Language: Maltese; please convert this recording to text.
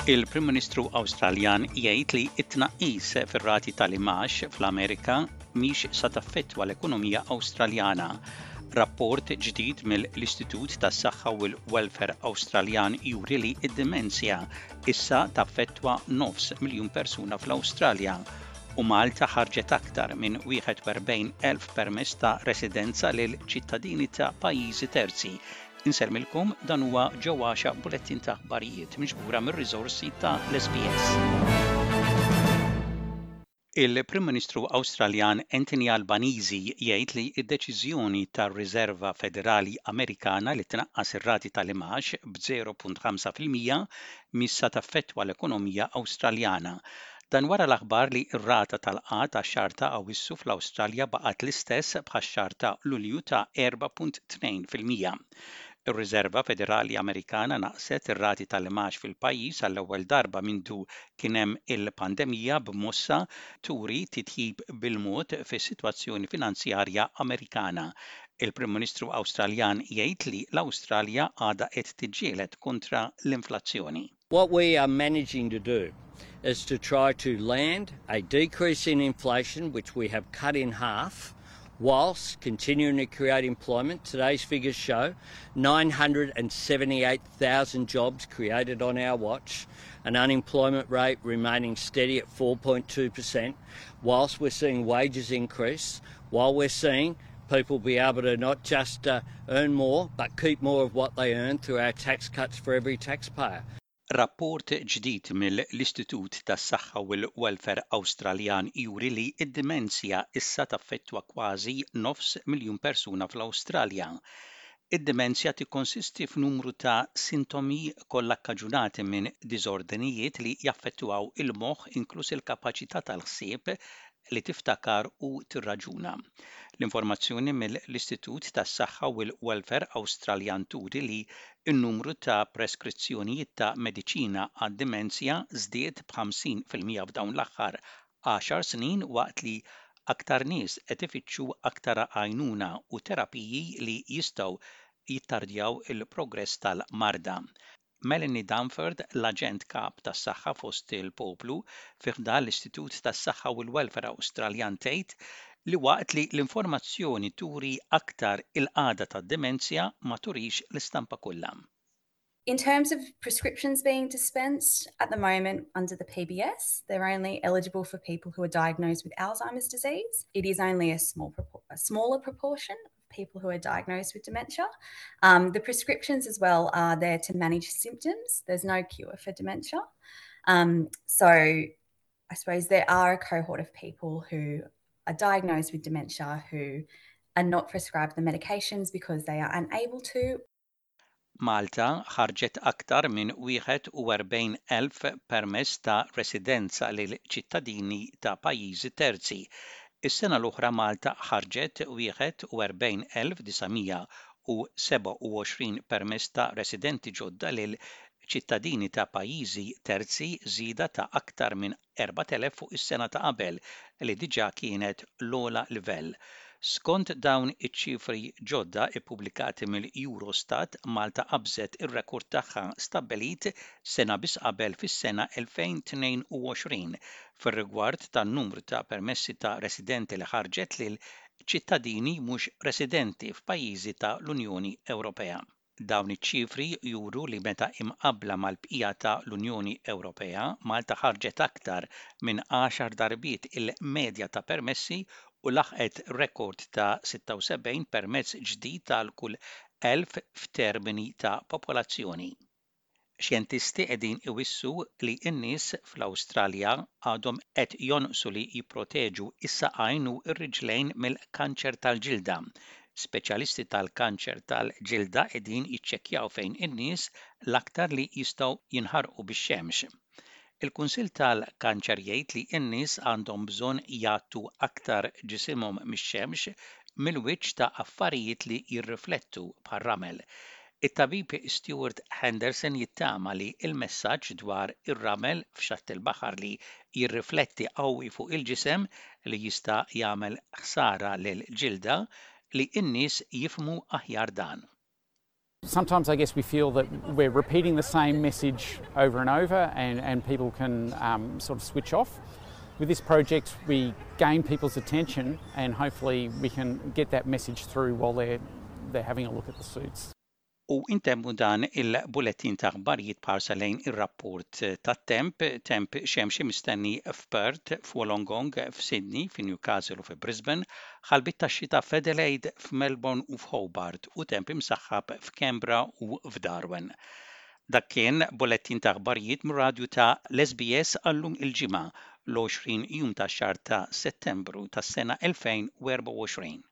Il-Prim Ministru Awstraljan jgħid li t-tnaqqis fir-rati tal-imgħax fl-Amerika mhix sa taffettwa l-ekonomija Awstraljana. Rapport ġdid mill-Istitut tas-Saħħa u l-Welfare Awstraljan juri li d-dimensja issa taffettwa nofs miljun persuna fl-Awstralja u Malta ħarġet aktar minn 41,000 permess ta' residenza lil ċittadini ta' pajjiżi terzi. Insellmilkom, dan huwa Ġo Għaxaq bulettin ta' aħbarijiet miġbura mir-riżorsi ta' l-SBS. Il-Prim Ministru Awstraljan Anthony Albanese jgħid li d-deċiżjoni tar-Riserva Federali Amerikana li tnaqqas ir-rati tal-imgħax b'0.5% mhix sa taffettwa l-ekonomija Awstraljana. Dan wara l-aħbar li r-rata tal-qgħad għax-xahar ta' Awwissu fl-Awstralja baqgħet l-istess bħax-xahar ta' Lulju ta' 4.2%. Ir-Riserva Federali Amerikana naqqset ir-rati tal-imgħax fil-pajjiż għall-ewwel darba mindu kien hemm il-pandemija b'mossa turi titjib bil-mod fis-sitwazzjoni finanzjarja Amerikana. Il-Prim Ministru Awstraljan jgħid li l-Awstralja għadha qed tiġġieled kontra l-inflazzjoni. What we are managing to do is to try to land a decrease in inflation, which we have cut in half, whilst continuing to create employment. Today's figures show 978,000 jobs created on our watch, an unemployment rate remaining steady at 4.2%, whilst we're seeing wages increase, while we're seeing people be able to not just uh, earn more, but keep more of what they earn through our tax cuts for every taxpayer. Rapport ġdid mill-Istitut tas-Saħħa u l-Welfare Awstraljan juri li d-dimensja issa taffettwa kważi nofs miljun persuna fl-Awstralja. Id-dimensja tikkonsisti f'numru ta' sintomi kollha kkaġunati minn diżordnijiet li jaffettwaw il-moħħ inkluż il-kapaċità tal-ħsieb, li tiftakar u tirraġuna. L-informazzjoni mill-Istitut tas-Saħħa u l-Welfare Awstraljan turi li n-numru ta' preskrizzjonijiet ta' mediċina għad-dimensja żdied b'50% f'dawn l-aħħar għaxar snin waqt li aktar nies qed ifittxu aktar għajnuna u terapiji li jistgħu jittardjaw il-progress tal-marda. Melanie Dunford, l-Aġent Kap tas-Saħħa fost il-Poplu fi ħdan l-Istitut tas-Saħħa u l-Welfare Awstraljan tgħid li waqt li l-informazzjoni turi aktar il-qagħda tad-dimensja ma turix l-istampa kollha. In terms of prescriptions being dispensed, at the moment under the PBS, they're only eligible for people who are diagnosed with Alzheimer's disease. It is only a small a smaller proportion people who are diagnosed with dementia. Um, the prescriptions as well are there to manage symptoms. There's no cure for dementia. Um, so I suppose there are a cohort of people who are diagnosed with dementia who are not prescribed the medications because they are unable to Malta ħarġet aktar minn 41,000 permess ta' residenza lil ċittadini ta' pajjiżi terzi. Is-sena l-oħra Malta ħarġet 41,927 permess ta' residenti ġodda lil ċittadini ta' pajjiżi terzi, żieda ta' aktar minn 4,000 fuq is-sena ta' qabel li diġà kienet l-ogħla livell. Skont dawn iċ-ċifri ġodda ppubblikati mill-Eurostat, Malta qabżet ir-rekord tagħha stabbilit sena biss qabel fis-sena 2022 fir-rigward tan-numru ta' permessi ta' residenti li ħarġet lil ċittadini mhux residenti f'pajjiżi ta' l-Unjoni Ewropea. Dawn iċ-ċifri juru li meta imqabbla mal-bqija ta' l-Unjoni Ewropea, Malta ħarġet aktar minn għaxar darbiet il-medja ta' permessi u laħqet rekord ta' 76 permess ġdid għal kull 1,000 f'termini ta' popolazzjoni. Xjentisti qegħdin iwissu li n-nies fl-Awstralja għadhom qed jonqsu li jipproteġu s-saqajn u r-riġlejn mill-kanċer tal-ġilda. Speċjalisti tal-kanċer tal-ġilda qegħdin jiċċekkjaw fejn in-nies l-aktar li jistgħu jinħarqu bix-xemx. Il-Kunsill tal-Kanċer jgħid li n-nies għandhom bżonn jgħattu aktar ġisimhom mix-xemx mill-wiċċ ta' affarijiet li jirriflettu, bħar-ramel. It-tabib Stuart Henderson jittama li l-messaġġ dwar ir-ramel f'xatt il-baħar li jirrifletti qawwi fuq il-ġisem li jista' jagħmel ħsara lill-ġilda, li n-nies jifhmu aħjar dan. Sometimes I guess we feel that we're repeating the same message over and over and, and people can um, sort of switch off. With this project we gain people's attention and hopefully we can get that message through while they're, they're having a look at the suits. U intemmu dan il-bulettin ta' aħbarijiet b'ħarsa lejn ir-rapport tat-temp, temp xemxi mistenni f'Perth, f'Wollongong, f'Sydney, fi Newcastle u fi Brisbane, ħalbiet tax-xita f'Adelaide, f'Melbourne u f'Hobart u temp imsaħħab f'Canberra u f'Darwin. Dak kien bulettin ta' aħbarijiet mir-radju ta' l-SBS għal-lum il-Ġimgħa, l-20 jum tax-xahar ta' Settembru tas-sena 2024.